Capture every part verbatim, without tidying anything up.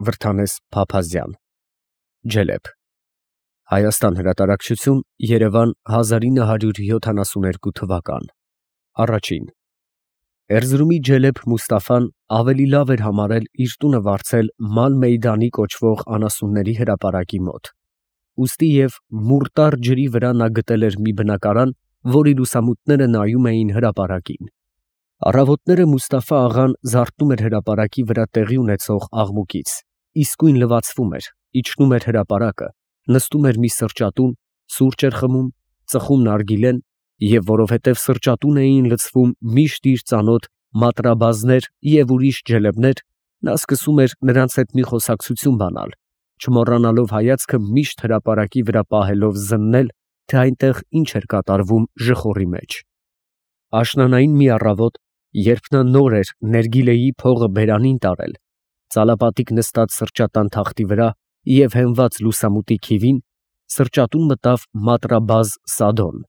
Վրդանես Փափազյան Ջելեփ Հայաստան հրատարակչություն Երևան հազար ինը հարյուր յոթանասունհինգ թվական Առաջին Էրզրումի Ջելեփ Մուստաֆան ավելի լավ էր համարել իր տունը վարձել Ալ Մեյդանի կոչվող անասունների հրապարակի մոտ, ուստի և Մուրտար ջրի վրա նա գտել էր մի բնակարան, որի լուսամուտները նայում էին հրապարակին։ Առավոտները Մուստաֆա աղան զարթնում էր հրապարակի վրա տեղի ունեցող աղմուկից, իսկույն լվացվում էր, իջնում էր հրապարակը, նստում էր մի սրճատուն, սուրճ էր խմում, ծխում նարգիլեն, և որովհետև սրճատուն էին լցվում միշտ իր ծանոթ մատրաբազներ և ուրիշ ջելեպներ, նա սկսում էր նրանց հետ մի խոսակցություն բանալ, չմոռանալով հայացքը միշտ հրապարակի վրա պահելով զննել, թե այնտեղ ինչ էր կատարվում ժխորի մեջ։ Աշնանային մի առավոտ, երբ նա նոր էր ներգիլեի փողը բերանին տարել, ծալապատիկ նստած սրճատան թախտի վրա և հենված լուսամուտի քիվին, սրճատուն մտավ մատրաբազ Սադոն,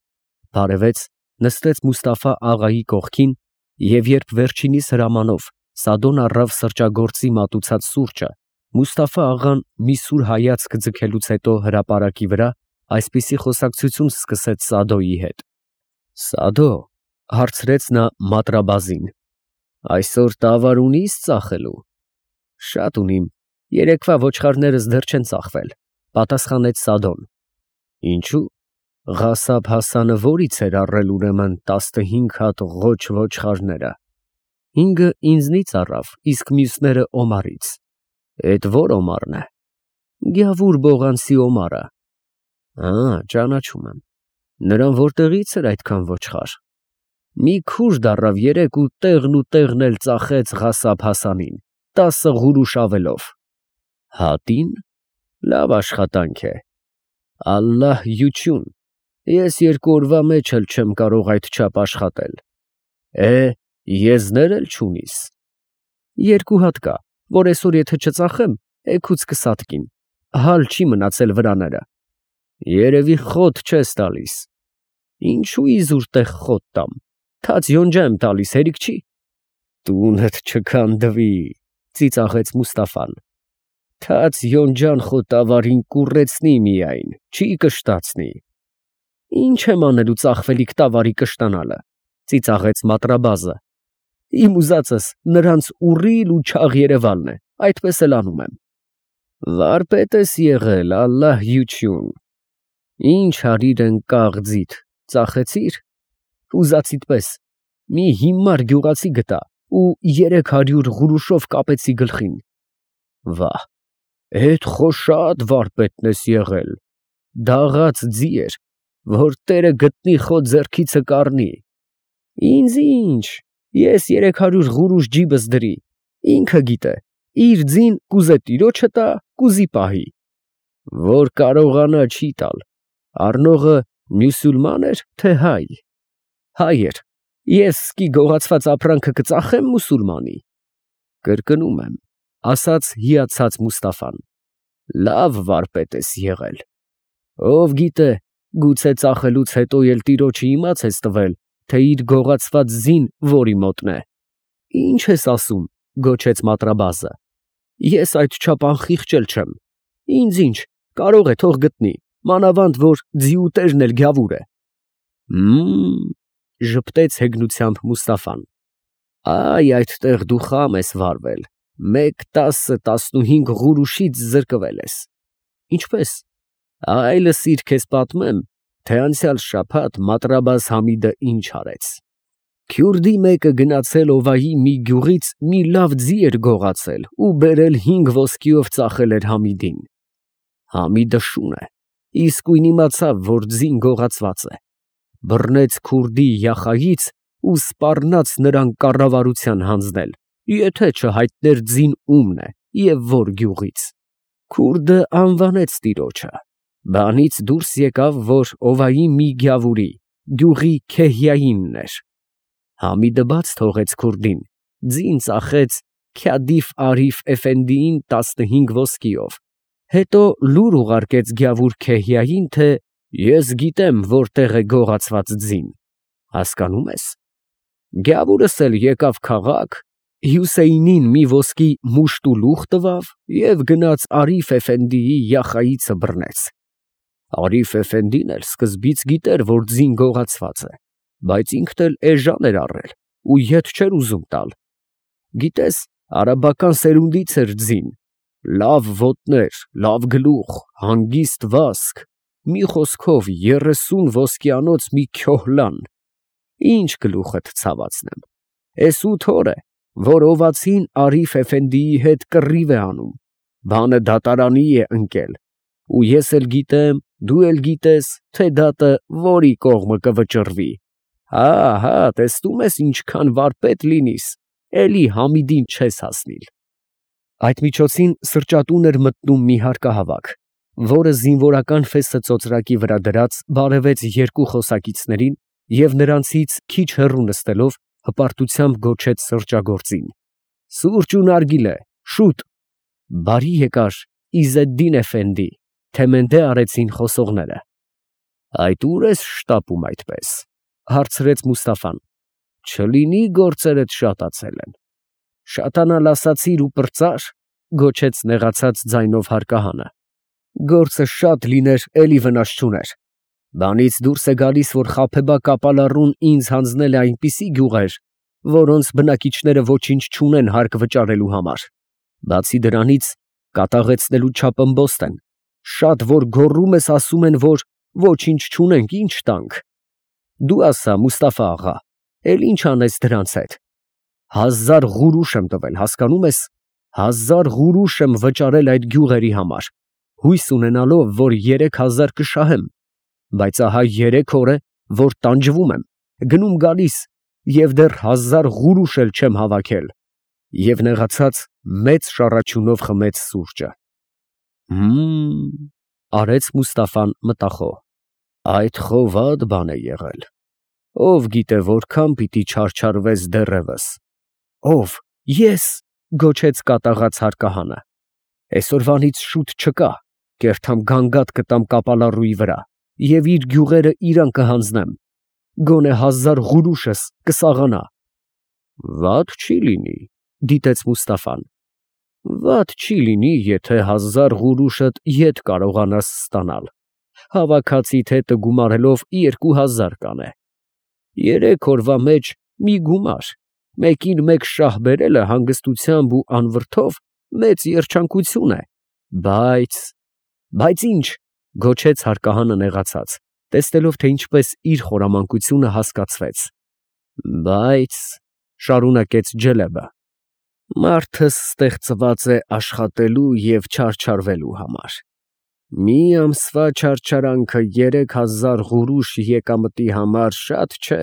բարևեց, նստեց Մուստաֆա աղայի կողքին, և երբ վերջինիս հրամանով Սադոն առավ սրճագործի մատուցած սուրճը, Մուստաֆա աղան մի սուր հայացք ձգելուց հետո հրապարակի վրա այսպիսի խոսակցություն սկսեց Սադոյի հետ. Սադո, հարցրեց նա մատրաբազին, այսօր տավար ունի՞ս ծախելու։ Շատ ունիմ, երեկվա ոչխարներս դեռ չեն ծախվել, պատասխանեց Սադոն։ Ինչու՞։ Ղասաբ Հասանը որից էր առել ուրեմն տասնհինգ հատ ղոչ ոչխարները։ Հինգը ինձնից առավ, իսկ մյուսները Օմարից։ Էդ ո՞ր Օմարն է։ Գյավուր Բողանցի Օմարը։ Ա, ճանաչում եմ։ Նրան որտեղից էր այդքան ոչխար։ Մի քուրդ առավ երեկ ու տեղն ու տեղն էլ ծախեց Ղասաբ Հասանին, տասը ղուրուշ ավելով։ Հատի՞ն։ Լավ աշխատանք է։ Ալլահ հյություն։ Ես երկու օրվա մեջ էլ չեմ կարող այդչափ աշխատել։ Է, եզներ էլ չունիս։ Երկու հատ կա, որ այսօր եթե չծախեմ, էգուց կսատկին, հալ չի մնացել վրաները։ Երևի խոտ չես տալիս։ Ինչու իզուր տեղ խոտ տամ, թաց յոնջա եմ տալիս, հերիք չի։ Տունդ չքանդվի, ծիծաղեց Մուստաֆան։ Թաց յոնջան խո տավարին կուռեցնի միայն, չի կշտացնի։ Ինչ եմ անելու ծախվելիք տավարի կշտանալը, ծիծաղեց մատրաբազը։ Իմ ուզածս նրանց ուռիլ ու չաղ Երևանն է, այդպես էլ անում եմ։ Վարպետ ես եղել, ալլահ հյություն։ Ինչ հարիր են կաղձիդ, ծախեցիր։ Ուզածիդ պես, մի հիմար գյուղացի գտա ու երեք հարյուր ղուրուշով կապեցի գլխին։ Վահ, էդ խո շատ վարպետն ես եղել, դաղաց ձի էր, որ տերը գտնի խո ձեռքիցը կառնի։ Ինձ ինչ, ես երեք հարյուր ղուրուշ ջիբս դրի, ինքը գիտե, իր ձին կուզե տիրոջը տա, կուզի պահի։ Որ կարողանա չի տալ, առնողը մյուսուլման էր, թե հայ։ Հայ էր, ես սկի գողացված ապրանքը կծախեմ մուսուլմանի։ Կրկնում եմ, ասաց հիացած Մուստաֆան, լավ վարպետ ես եղել։ Ով գիտե, գուցե ծախելուց հետո էլ տիրոջը իմաց ես տվել, թե իր գողացված ձին որի մոտն է։ Ինչ ես ասում, գոչեց մատրաբազը։ Ես այդչափ անխիղճ չեմ։ Ինձ ինչ, կարող է թող գտնի, մանավանդ որ ձիուտերն էլ գյավուր է։ Մմ, ժպտեց հեգնությամբ Մուստաֆան։ Այ այդտեղ դու խամ ես վարվել, մեկ տասը տասնուհինգ ղուրուշից զրկվել ես։ Ինչպես։ Այ լսիր քեզ պատմեմ, թե անցյալ շաբաթ մատրաբազ Համիդը ինչ արեց։ Քյուրդի մեկը գնացել Օվայի մի գյուղից մի լավ ձի էր գողացել ու բերել հինգ ոսկիով ծախել էր Համիդին։ Համիդը շուն է, իսկույն իմացավ, որ ձին գողացված է։ Բռնեց քուրդի յախայից ու սպառնաց նրան կառավարության հանձնել, եթե չհայտներ ձին ումն է և որ գյուղից։ Քուրդը անվանեց տիրոջը։ Բանից դուրս եկավ, որ Օվայի մի գյավուրի, գյուղի Քեհյայինն էր։ Համիդը բաց թողեց քուրդին, ձին ծախեց Քյադիֆ Արիֆ Էֆենդիին տասնհինգ ոսկիով, հետո լուր ուղարկեց գյավուր Քեհյային, թե ես գիտեմ որտեղ է գողացված ձին։ Հասկանում ես։ Գյավուրս էլ եկավ քաղաք, Հյուսեյնին մի ոսկի մուշտ ու լուխ տվավ և գնաց Արիֆ էֆենդիի յախայիցը բռնեց։ Արիֆ էֆենդին էլ սկզբից գիտեր, որ ձին գողացված է, բայց ինքն էլ էժան էր առել ու ետ չէր ուզում տալ։ Գիտես, արաբական սերունդից էր ձին, լավ ոտներ, լավ գլուխ, հանգիստ վազք, մի խոսքով երեսուն ոսկիանոց մի քյոհլան։ Ինչ գլուխդ ցավացնեմ, էս ութ օր է, որ օվացին Արիֆ էֆենդիի հետ կռիվ է անում, բանը դատարանի է ընկել, ու ես էլ գիտեմ, դու էլ գիտես, թե դատը որի կողմը կվճռվի։ Հա, հա, տեսնում ես ինչքան վարպետ լինիս, էլի Համիդին չես հասնիլ։ Այդ միջոցին սրճատուն էր մտնում մի հարկահավաք, որը զինվորական ֆեսը ծոծրակի վրա դրած բարևեց երկու խոսակիցներին և նրանցից քիչ հեռու նստելով հպարտությամբ գոչեց սրճագործին. «Սուրճ ու նարգիլե, շուտ»։ «Բարի եկար, Իզեդդին էֆենդի», թեմենդե արեցին խոսողները։ «Այդ ուր ես շտապում այդպես», հարցրեց Մուստաֆան։ «Չլինի գործերդ շատացել են»։ «Շատանալ ասացիր ու պրծար», գոչեց նեղացած ձայնով հարկահանը։ «Գործը շատ լիներ, էլի վնաս չուներ։ Բանից դուրս է գալիս, որ Խաբեբա կապալառուն ինձ հանձնել է այնպիսի գյուղեր, որոնց բնակիչները ոչինչ չունեն հարկ վճարելու համար։ Բացի դրանից, կատաղեցնելու չափ ըմբոստ են, շատ որ գոռում ես, ասում են, որ ոչինչ չունենք, ինչ տանք։ Դու ասա, Մուստաֆա աղա, էլ ինչ անես դրանց հետ։ Հազար ղուրուշ եմ տվել, հասկանում ես, հազար ղուրուշ եմ վճարել այդ գյուղերի համար, հույս ունենալով, որ երեք հազար կշահեմ, բայց ահա երեք օր է, որ տանջվում եմ, գնում գալիս և դեռ հազար ղուրուշ էլ չեմ հավաքել։ Եվ նեղացած մեծ շառաչյունով խմեց սուրճը։ Հմ, արեց Մուստաֆան մտախոհ, այդ խովադ բան է եղել։ Ով գիտե որքան պիտի չարչարվես դեռևս։ Ով, ես, գոչեց կատաղած հարկահանը։ Այսօրվանից շուտ չկա, կերթամ գանգատ կտամ կապալառուի վրա և իր գյուղերը իրան կհանձնեմ, գոնե հազար ղուրուշս կսաղանա։ Վատ չի լինի, դիտեց Մուստաֆան։ Վատ չի լինի, եթե հազար ղուրուշդ ետ կարողանաս ստանալ, հավաքածիդ հետը գումարելով երկու հազար կանե։ Երեք օրվա մեջ մի գումար, մեկին մեկ շահ բերելը հանգստությամբ ու անվրդով մեծ երջանկություն է, բայց… Բայց ի՞նչ, գոչեց հարկահանը նեղացած, տեսնելով, թե ինչպես իր խորամանկությունը հասկացվեց։ Բայց… շարունակեց Ջելեբը, մարդս ստեղծված է աշխատելու և չարչարվելու համար։ Մի ամսվա չարչարանքը երեք հազար ղուրուշ եկամտի համար շատ չէ։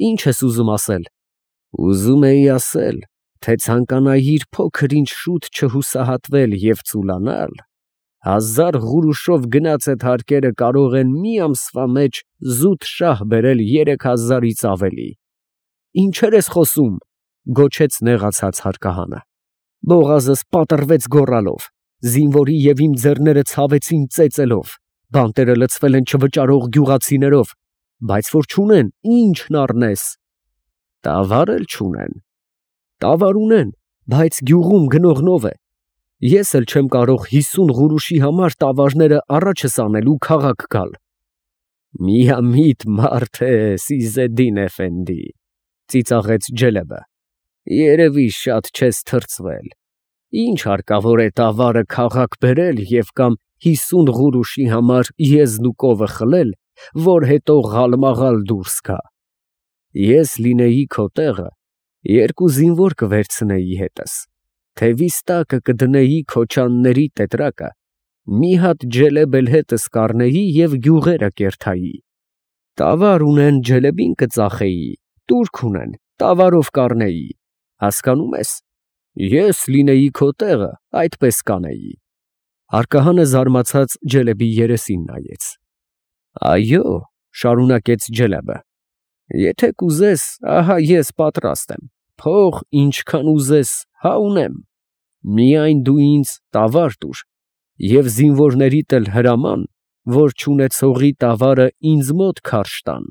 Ի՞նչ ես ուզում ասել։ Ուզում էի ասել, թե ցանկանայիր փոքր-ինչ շուտ չհուսահատվել և ծուլանալ, հազար ղուրուշով գնացդ հարկերը կարող են մի ամսվա մեջ զուտ շահ բերել երեք հազարից ավելի։ Ինչեր ես խոսում, գոչեց նեղացած հարկահանը։ Բողազս պատռվեց գոռալով, զինվորի և իմ ձեռները ցավեցին ծեծելով, բանտերը լցվել են չվճարող գյուղացիներով, բայց որ չունեն, ի՞նչն առնես։ Տավար էլ չունեն։ Տավար ունեն, բայց գյուղում գնողնով է։ Ես էլ չեմ կարող հիսուն ղուրուշի համար տավարները առաջս անել ու քաղաք գալ։ Միամիտ մարդ ես, Իզեդդին էֆենդի, ծիծաղեց Ջելեբը, երևի շատ չես թրծվել։ Ինչ հարկավոր է տավարը քաղաք բերել և կամ հիսուն ղուրուշի համար եզն ու կովը խլել, որ հետո ղալմաղալ դուրս գա։ Ես լինեի քո տեղը, երկու զինվոր կվերցնեի հետս, թևիս տակը կդնեի քոչանների տետրակը, մի հատ ջելեբ էլ հետս կառնեի և գյուղերը կերթայի։ Տավար ունեն, ջելեբին կծախեի, տուրք ունեն, տավարով կառնեի, հասկանում ես։ Ես լինեի քո տեղը, այդպես կանեի։ Հարկահանը զարմացած Ջելեբի երեսին նայեց։ Այո, շարունակեց Ջելեբը, եթե կուզես, ահա ես պատրաստ եմ, փող ինչքան ուզես, հա ունեմ, միայն դու ինձ տավար տուր և զինվորներիդ էլ հրաման, որ չունեցողի տավարը ինձ մոտ քարշ տան,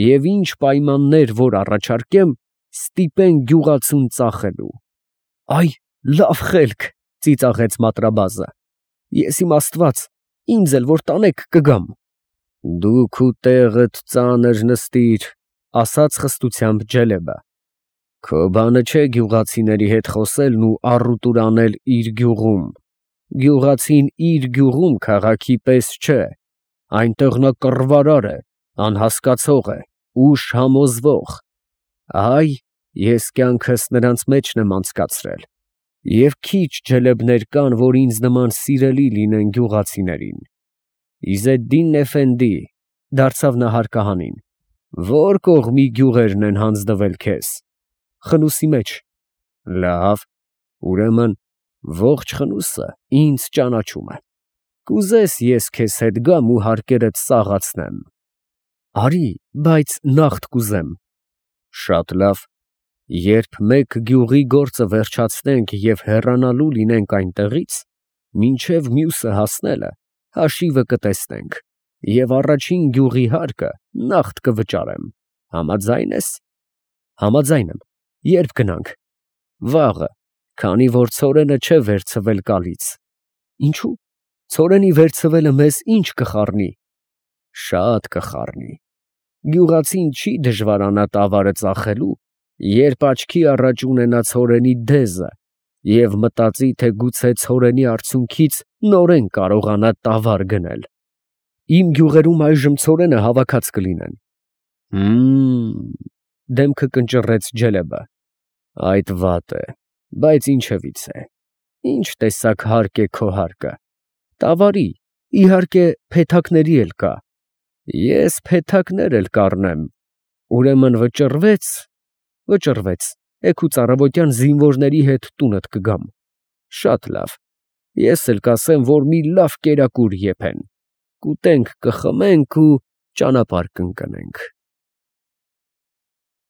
և ինչ պայմաններ որ առաջարկեմ, Ստիպեն գյուղացուն ծախելու։ Այ, լավ խելք, ծիծաղեց Մատրաբազը։ Ես իմ Աստված, ինձ էլ որ տանեք կգամ։ Դու քու տեղդ ծանր նստիր, ասաց խստությամբ Ջելեբը։ Քո բանը չէ գյուղացիների հետ խոսելն ու առուտուր անել իր գյուղում։ Գյուղացին իր գյուղում քաղաքի պես չէ, այնտեղ նա կռվարար է, անհասկացող է, ուժ համոզվող։ Այ, ես կյանքս նրանց մեջն եմ անցկացրել, և քիչ ջելեբներ կան, որ ինձ նման սիրելի լինեն գյուղացիներին։ Իզեդդին Էֆենդի, դարձավ նա հարկահանին, ո՞ր կողմի գյուղերն են հանձնվել քեզ։ Խնուսի մեջ։ Լավ, ուրեմն ողջ Խնուսը ինձ ճանաչում է։ Կուզես ես քեզ հետ գամ ու հարկերդ սաղացնեմ։ Արի, բայց նաղդ կուզեմ։ Շատ լավ, երբ մեկ գյուղի գործը վերջացնենք և հեռանալու լինենք այնտեղից, մինչև մյուսը հասնելը հաշիվը կտեսնենք, և առաջին գյուղի հարկը նաղդ կվճարեմ։ Համաձա՞յն ես։ Համաձայն եմ։ Ե՞րբ գնանք։ Վաղը, քանի որ ցորենը չէ վերցվել կալից։ Ինչո՞ւ։ Ցորենի վերցվելը մեզ ինչ կխառնի։ Շատ կխառնի։ Գյուղացին չի դժվարանա տավարը ծախելու, երբ աչքի առաջ ունենա ցորենի դեզը և մտածի, թե գուցե ցորենի արդյունքից նորեն կարողանա տավար գնել։ Իմ գյուղերում այժմ ցորենը հավաքած կլինեն։ Հըմ, դեմքը կնճռեց Ջելեբը։ Այդ վատ է, բայց ինչևից է, ինչ տեսակ հարկ է քո հարկը։ Տավարի, իհարկե, փեթակների էլ կա։ Ես փեթակներ էլ կառնեմ։ Ուրեմն վճռվե՞ց։ Վճռվեց, էգուց առավոտյան զինվորների հետ տունդ կգամ։ Շատ լավ, ես էլ կասեմ, որ մի լավ կերակուր եփեն։ Կուտենք, կխմենք ու ճանապարհ կընկնենք։